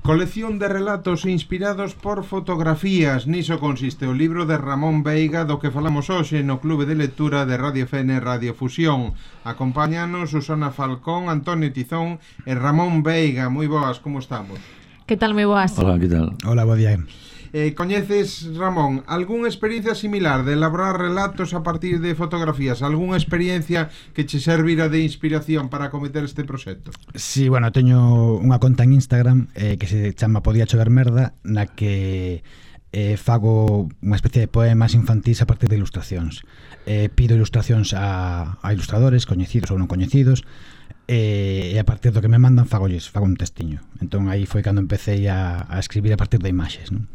Colección de relatos inspirados por fotografías. Niso consiste o libro de Ramón Veiga, do que falamos hoxe no Clube de Lectura de Radio FN Radio Fusión. Acompáñanos Susana Falcón, Antonio Tizón e Ramón Veiga. Moi boas, como estamos? Que tal, moi boas? Hola, que tal? Hola, bo día. Coñeces, Ramón, algunha experiencia similar de elaborar relatos a partir de fotografías? Algunha experiencia que che servira de inspiración para acometer este proxecto? Sí, bueno, teño unha conta en Instagram que se chama Podía chover merda, na que fago unha especie de poemas infantís a partir de ilustracións. Pido ilustracións a ilustradores coñecidos ou non coñecidos, e a partir do que me mandan fago un textiño. Entón aí foi cando empecé a escribir a partir de imaxes, non?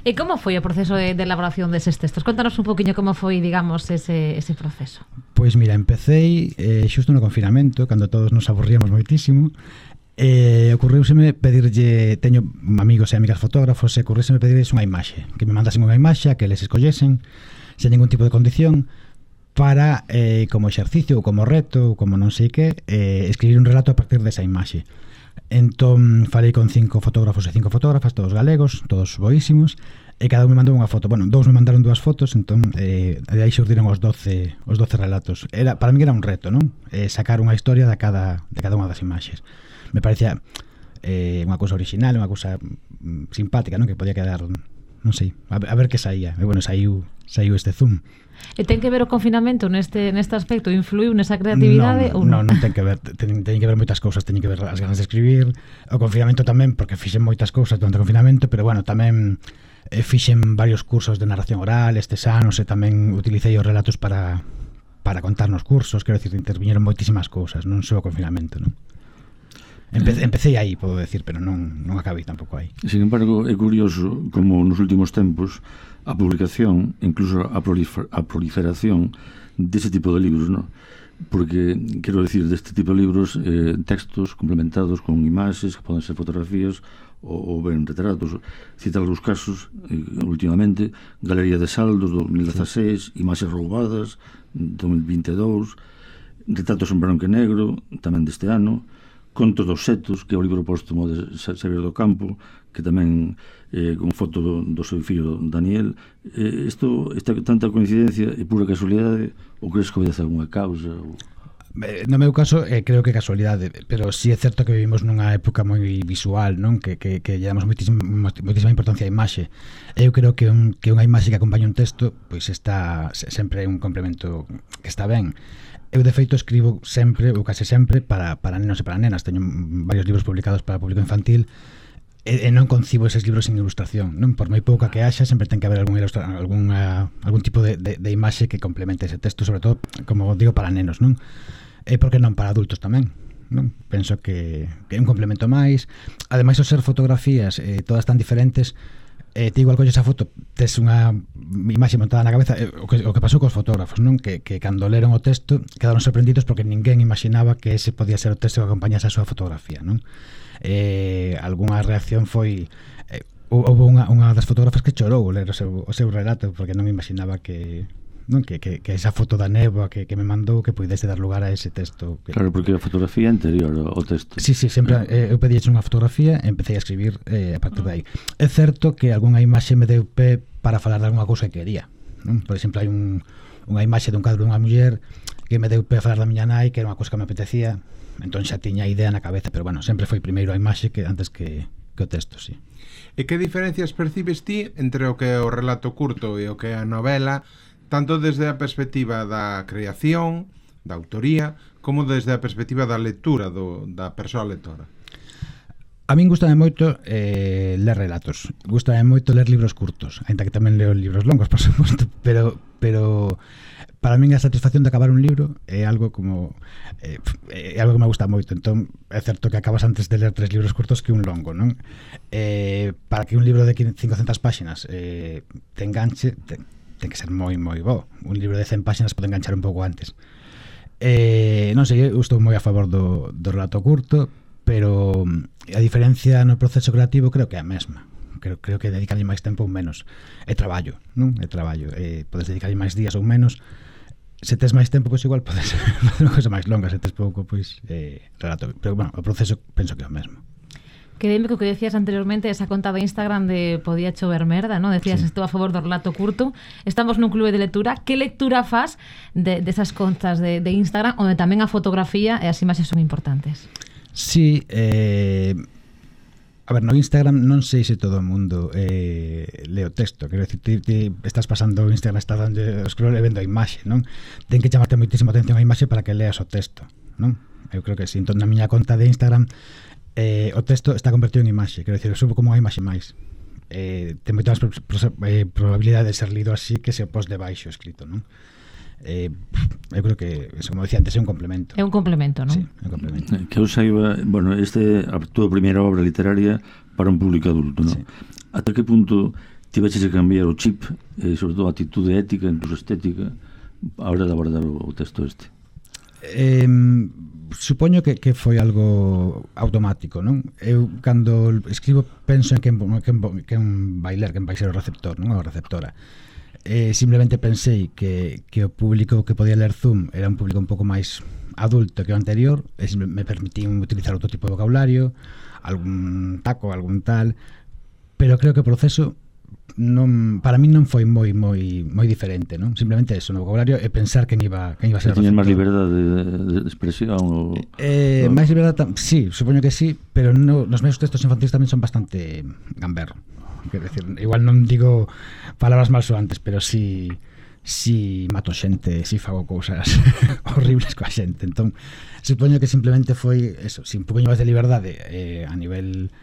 E como foi o proceso de elaboración deses textos? Contanos un poquinho como foi, digamos, ese proceso. Pois mira, empecé xusto no confinamento, cando todos nos aburríamos moitísimo, ocurriuseme pedirlle, teño amigos e amigas fotógrafos, e ocurriuseme pedirles unha imaxe, que me mandasen unha imaxe, que les escollesen sen ningún tipo de condición, para, como exercicio ou como reto ou como non sei que, escribir un relato a partir desa imaxe. Entón falei con 5 fotógrafos e 5 fotógrafas, todos galegos, todos boísimos, e cada un me mandou unha foto. Bueno, dous me mandaron 2 fotos, entón de aí xurdiron os 12 relatos. Para mí era un reto, non? Sacar unha historia de cada unha das imaxes. Me parecía unha cousa original, unha cousa simpática, non? Que podía quedar, non sei, a ver que saía. E bueno, saiu este zoom. E ten que ver o confinamento neste aspecto? Influiu nesa creatividade ou non? Non ten que ver, ten que ver moitas cousas. Teñen que ver as ganas de escribir, o confinamento tamén, porque fixen moitas cousas durante o confinamento, pero bueno, tamén fixen varios cursos de narración oral estes anos, e tamén utilicei os relatos para contar nos cursos. Quero dicir, interviñeron moitísimas cousas, non só o confinamento, non? Empecé aí, podo decir, pero non acabei tampouco aí. Sin embargo, é curioso como nos últimos tempos a publicación, incluso a proliferación dese tipo de libros, ¿no? Porque, quero decir, deste tipo de libros, textos complementados con imaxes, que poden ser fotografías ou ben retratos. Citar os casos, últimamente, Galería de Saldos, 2016, Imaxes roubadas, 2022, Retratos en branco e negro, tamén deste ano, Contos dos setos, que é o libro póstumo de Xavier do Campo, que tamén con foto do seu fillo Daniel. Esta tanta coincidencia é pura casualidade ou crees que obedece algunha causa? No meu caso, creo que é casualidade, pero sí é certo que vivimos nunha época moi visual, non? Que lle damos moitísima importancia á imaxe. Eu creo que unha imaxe que acompaña un texto, pois está sempre un complemento que está ben. Eu, de feito, escribo sempre, ou case sempre, para nenos e para nenas. Teño varios libros publicados para público infantil, e non concibo eses libros sin ilustración, non? Por moi pouca que haxa, sempre ten que haber algún tipo de imaxe que complemente ese texto, sobre todo, como digo, para nenos, non? E por que non para adultos tamén, non? Penso que é un complemento máis. Ademais, ao ser fotografías todas tan diferentes, ti igual colles a foto, tes unha imaxe montada na cabeza, o que pasou cos fotógrafos, non? Que cando leron o texto quedaron sorprendidos porque ninguén imaginaba que ese podía ser o texto que acompañase a súa fotografía, non? Algunha reacción foi houve unha das fotógrafas que chorou ler o seu relato porque non imaginaba que esa foto da néboa que me mandou que puidese dar lugar a ese texto. Claro, porque a fotografía é anterior ao texto. Sí, sempre eu pedíxe unha fotografía e empecé a escribir a partir de aí. É certo que algunha imaxe me deu pé para falar de algunha cousa que quería, non? Por exemplo, hai unha imaxe dun cadro dunha muller que me deu pé a falar da miña nai, que era unha cousa que me apetecía, entón xa tiña a idea na cabeza, pero bueno, sempre foi primeiro a imaxe que antes que o texto, sí. E que diferencias percibes ti entre o que é o relato curto e o que é a novela, tanto desde a perspectiva da creación, da autoría, como desde a perspectiva da lectura da persoa lectora? A min gustame moito ler relatos. Gustame moito ler libros curtos, aínda que tamén leo libros longos, por suposto, pero para min a satisfacción de acabar un libro é algo como é algo que me gusta moito. Entón é certo que acabas antes de ler 3 libros curtos que un longo, non? Para que un libro de 500 páxinas te enganche, ten que ser moi bo. Un libro de 100 páxinas pode enganchar un pouco antes. Non sei, eu estou moi a favor do relato curto, pero a diferencia no proceso creativo creo que é a mesma. Creo que dedicarlle máis tempo ou menos é traballo, non? É traballo. Podes dedicarlle máis días ou menos. Se tes máis tempo, pois igual podes facer unha cosa máis longa. Se tes pouco, pois relato. Pero bueno, o proceso penso que é o mesmo. Quedeme co que decías anteriormente, esa conta de Instagram de Podía chover merda, ¿no? Decías, Sí. estou a favor do relato curto. Estamos nun clube de lectura. Que lectura faz desas contas de Instagram, onde tamén a fotografía e as imaxes son importantes? Sí, a ver, no Instagram non sei se todo o mundo lee o texto. Quero dicir, ti estás pasando o Instagram, estás dando o scroll e vendo a imaxe, non? Ten que chamarte moitísima atención a imaxe para que leas o texto, non? Eu creo que si, entón na miña conta de Instagram o texto está convertido en imaxe, quero dicir, subo como unha imaxe máis. Ten moitas probabilidade de ser lido así que se o post de baixo escrito, non? Eu creo que, como decía antes, é un complemento. É un complemento, non? Sí, é un complemento. Que eu saiba, bueno, este a túa primeira obra literaria para un público adulto, non? Sí. Ata que punto tiveches que cambiar o chip, sobre todo a actitude ética, incluso estética, a hora de abordar o texto este? Supoño que foi algo automático, non? Eu cando escribo penso en quen vai ler, quen vai ser o receptor, non? A receptora. Simplemente pensei que o público que podía ler Zoom era un público un pouco máis adulto que o anterior, e me permitín utilizar outro tipo de vocabulario, algún taco, algún tal, pero creo que o proceso non, para mí non foi moi diferente, non? Simplemente eso, no vocabulario e pensar quen iba a ser o receptor. Tiñas máis liberdade de expresión? Máis liberdade, sí, supoño que sí, pero nos meus textos infantis tamén son bastante gamberro. Quero decir, igual non digo palabras malsoantes, pero sí mato xente, sí fago cousas horribles coa xente. Entón, supoño que simplemente foi eso, un pouco máis de liberdade a nivel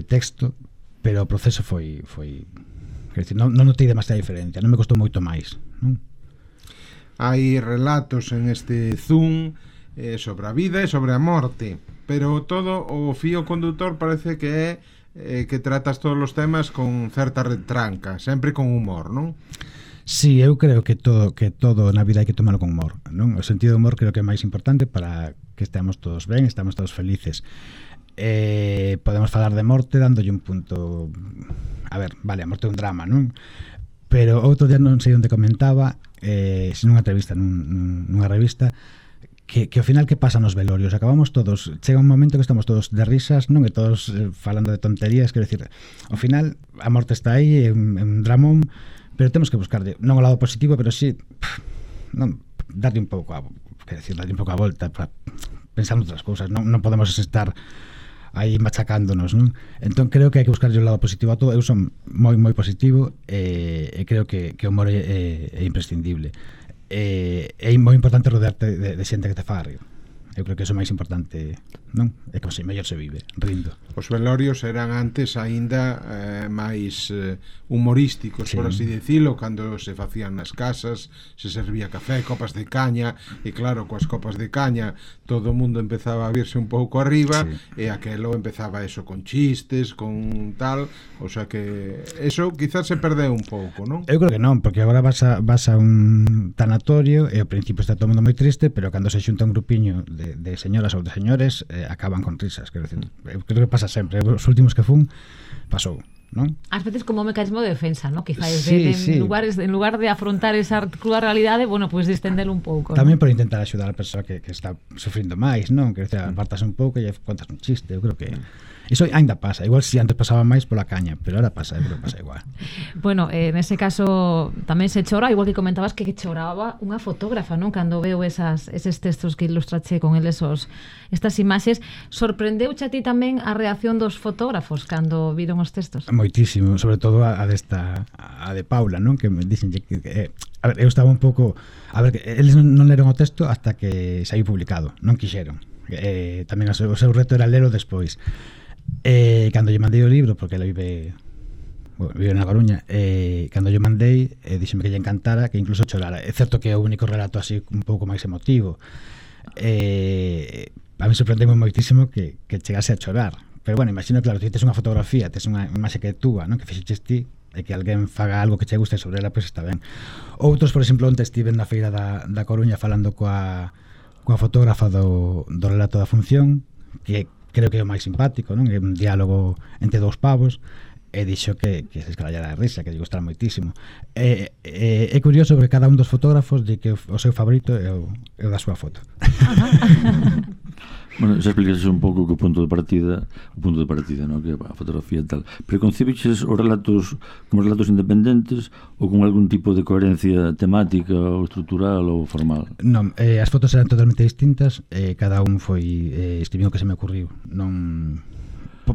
texto, pero o proceso foi quer dizer, non notei demasiada diferencia, non me costou moito máis, non? Hai relatos en este Zoom sobre a vida e sobre a morte, pero todo o fío condutor parece que é que tratas todos os temas con certa retranca, sempre con humor, non? Sí, eu creo que todo na vida hai que tomarlo con humor, non? O sentido do humor creo que é máis importante para que estemos todos ben, estamos todos felices. Podemos falar de morte dándolle un punto, a ver, vale, a morte é un drama, non? Pero outro día non sei onde comentaba, nunha entrevista nunha revista, que ao final que pasa nos velorios, acabamos todos, chega un momento que estamos todos de risas, non? E todos falando de tonterías, quero dicir, ao final a morte está aí, é un dramón, pero temos que buscarlle non o lado positivo, pero sí non, darlle un pouco a volta para pensar noutras cousas, non podemos estar aí machacándonos, non? Entón creo que hai que buscarlle o lado positivo a todo. Eu son moi positivo e creo que o humor é imprescindible. É moi importante rodearte de xente que te faga rir. Eu creo que iso é máis importante, non? É como se mellor se vive, rindo. Os velorios eran antes aínda máis humorísticos, sí, por así decirlo, cando se facían nas casas, se servía café, copas de caña, e claro, coas copas de caña todo o mundo empezaba a virse un pouco arriba, sí, e aquelo empezaba eso con chistes, con tal, o sea que eso quizás se perdeu un pouco, non? Eu creo que non, porque agora vas a un tanatorio e ao principio está todo o mundo moi triste, pero cando se xunta un grupiño de señoras ou de señores acaban con risas, quero decir, eu creo que pasa sempre, os últimos que fun pasou, non? Ás veces como un mecanismo de defensa, ¿no? Quizá sí. en lugar de afrontar esa cruda realidade, bueno, pues distendelo un pouco, tamén, ¿no? por intentar axudar a persoa que está sufrindo máis, non? Quero dicir, apartas un pouco e contas un chiste, eu creo que iso ainda pasa, igual si antes pasaba máis pola caña, pero ahora pasa, eu creo que pasa igual. Bueno, nese caso tamén se chora, igual que comentabas que choraba unha fotógrafa, non? Cando veo eses textos que ilustrache con eles estas imaxes, sorprendeuche a ti tamén a reacción dos fotógrafos cando viron os textos? Moitísimo, sobre todo a de Paula, non? Que me dixen que a ver, eu estaba un pouco, a ver, eles non leron o texto hasta que saiu publicado, non quixeron. Tamén o seu reto era lelo despois. Cando lle mandei o libro, porque ela vive na Coruña, cando lle mandei, díxeme que lle encantara, que incluso chorara. É certo que é o único relato así un pouco máis emotivo. A mí sorprendeu moitísimo que chegase a chorar. Pero bueno, imagino, claro, ti tes unha fotografía, tes unha imaxe que é túa, non? Que fixeches ti, e que alguén faga algo que che guste sobre ela, pois está ben. Outros, por exemplo, onte estiven na feira da Coruña falando coa fotógrafa do relato da función, que creo que é o máis simpático, non? É un diálogo entre dous pavos, e dixo que se escarallara de risa, que lle gustara moitísimo. É curioso porque cada un dos fotógrafos di que o seu favorito é o da súa foto. Bueno, xa explicaste un pouco que o punto de partida, ¿no? Que a fotografía e tal. Pero concibiches os relatos como relatos independentes ou con algún tipo de coherencia temática ou estrutural ou formal? Non, as fotos eran totalmente distintas, cada un foi escribindo o que se me ocurriu. Non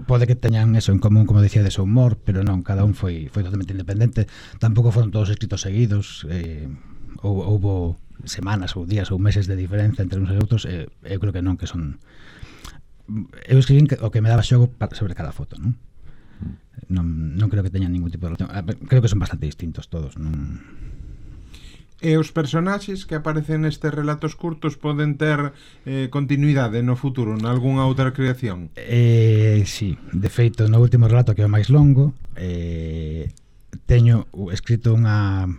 pode que teñan eso en común, como decía, de seu humor, pero non, cada un foi totalmente independente. Tampouco foron todos escritos seguidos, houbo semanas ou días ou meses de diferenza entre uns e outros. Eu creo que non, que son... Eu escribín o que me daba xogo sobre cada foto, non? Non creo que teñan ningún tipo de relación. Creo que son bastante distintos todos, non... E os personaxes que aparecen nestes relatos curtos poden ter continuidade no futuro, nalgúnha outra creación? Sí, de feito, no último relato, que é o máis longo, teño escrito unha...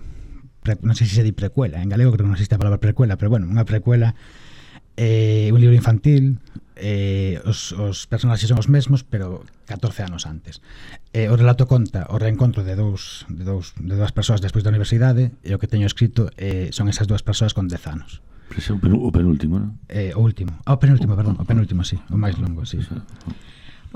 non sei se di precuela, en galego creo que non existe a palabra precuela, pero bueno, unha precuela, un libro infantil. Os personaxes son os mesmos, pero 14 anos antes. O relato conta o reencontro de dúas persoas despois da universidade, e o que teño escrito son esas dúas persoas con 10 anos. O penúltimo, non? O último. O penúltimo, sí, o máis longo, sí.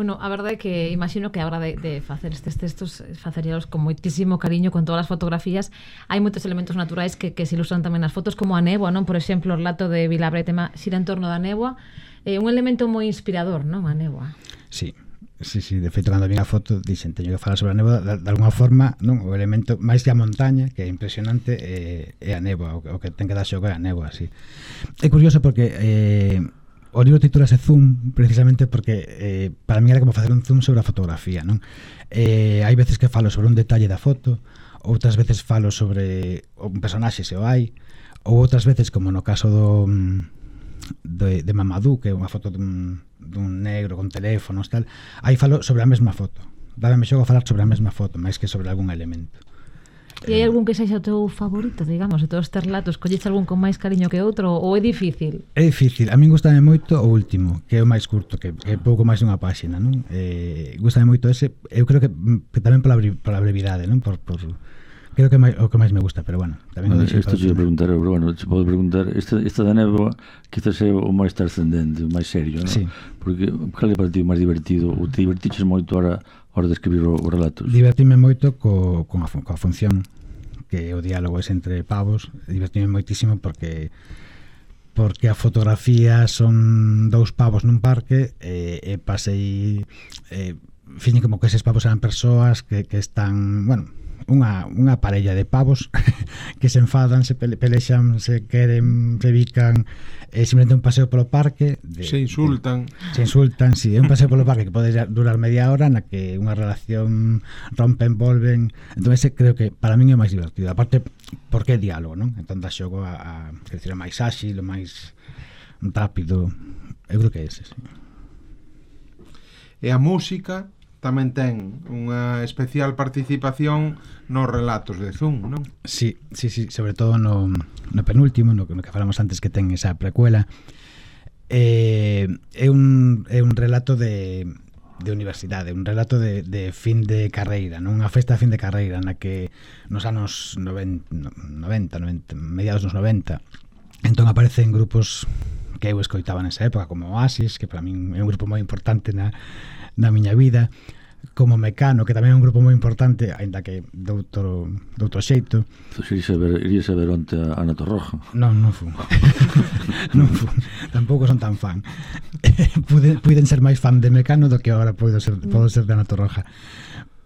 Bueno, a verdade é que imagino que a hora de facer estes textos faceríalos con moitísimo cariño, con todas as fotografías. Hai moitos elementos naturais que se ilustran tamén nas fotos, como a néboa, non? Por exemplo, o relato de Vilabre tema xira en torno da néboa, un elemento moi inspirador, non? A néboa. Sí, de feito, cando vin a foto dixen, teño que falar sobre a néboa de alguna forma, non? O elemento máis que a montaña, que é impresionante, é a néboa, o que ten que dar xogo é a néboa, sí. É curioso porque o libro titúlase Zoom precisamente porque para mí era como facer un zoom sobre a fotografía, non? Hai veces que falo sobre un detalle da foto, outras veces falo sobre un personaxe, se o hai, ou outras veces, como no caso de Mamadou, que é unha foto dun negro con teléfonos, tal, aí falo sobre a mesma foto. Dábame xogo a falar sobre a mesma foto, máis que sobre algún elemento. E hai algún que sexa o teu favorito, digamos, de todos estes relatos? Colleche algún con máis cariño que outro, ou é difícil? É difícil, a min gustame moito o último, que é o máis curto, que é pouco máis dunha páxina, non? Gustame moito ese, eu creo que tamén pola brevidade, non? Creo que é o que máis me gusta, pero bueno, tamén o isto te preguntar, pero bueno, te podo preguntar, esta da néboa quizás é o máis trascendente, o máis serio, non? Sí. Porque cal é para ti o máis divertido, ou te divertiches moito a hora de escribir os relatos? Divertime moito coa función, que o diálogo é entre pavos. Divertime moitísimo porque a fotografía son dous pavos nun parque, e pasei fixen como que eses pavos eran persoas que están, bueno, unha parella de pavos que se enfadan, se pelexan, se queren, se bican, simplemente un paseo polo parque se insultan, sí, é un paseo polo parque que pode durar media hora, na que unha relación rompen, volven. Entón ese creo que para min é o máis divertido, aparte porque é diálogo, non? Entón dá xogo a decir, o máis áxil, o máis rápido. Eu creo que é ese, sí. E a música tamén ten unha especial participación nos relatos de Zoom, non? Sí, sobre todo no penúltimo, no que falamos antes, que ten esa precuela. É un relato de universidade, un relato de fin de carreira, non? Unha festa de fin de carreira na que nos anos 90, mediados dos 90, entón aparecen grupos que eu escoitaba nesa época, como Oasis, que para min é un grupo moi importante na miña vida, como Mecano, que tamén é un grupo moi importante, aínda que de outro xeito. Irías a ver onte a Ana Torroja? Non fun. Tampouco son tan fan. Puiden ser máis fan de Mecano do que agora podo ser de Ana Torroja.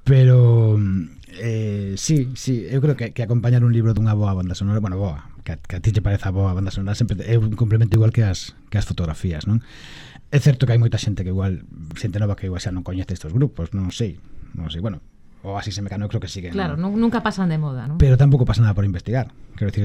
Pero sí, eu creo que acompañar un libro dunha boa banda sonora, bueno, boa, que a ti te pareza boa banda sonora, sempre é un complemento igual que as fotografías, non? É certo que hai moita xente que igual, xente nova que igual xa non coñece estes grupos, non sei, bueno, o así se Mecano creo que siguen. Claro, nunca pasan de moda, non? Pero tampouco pasa nada por investigar, quero decir,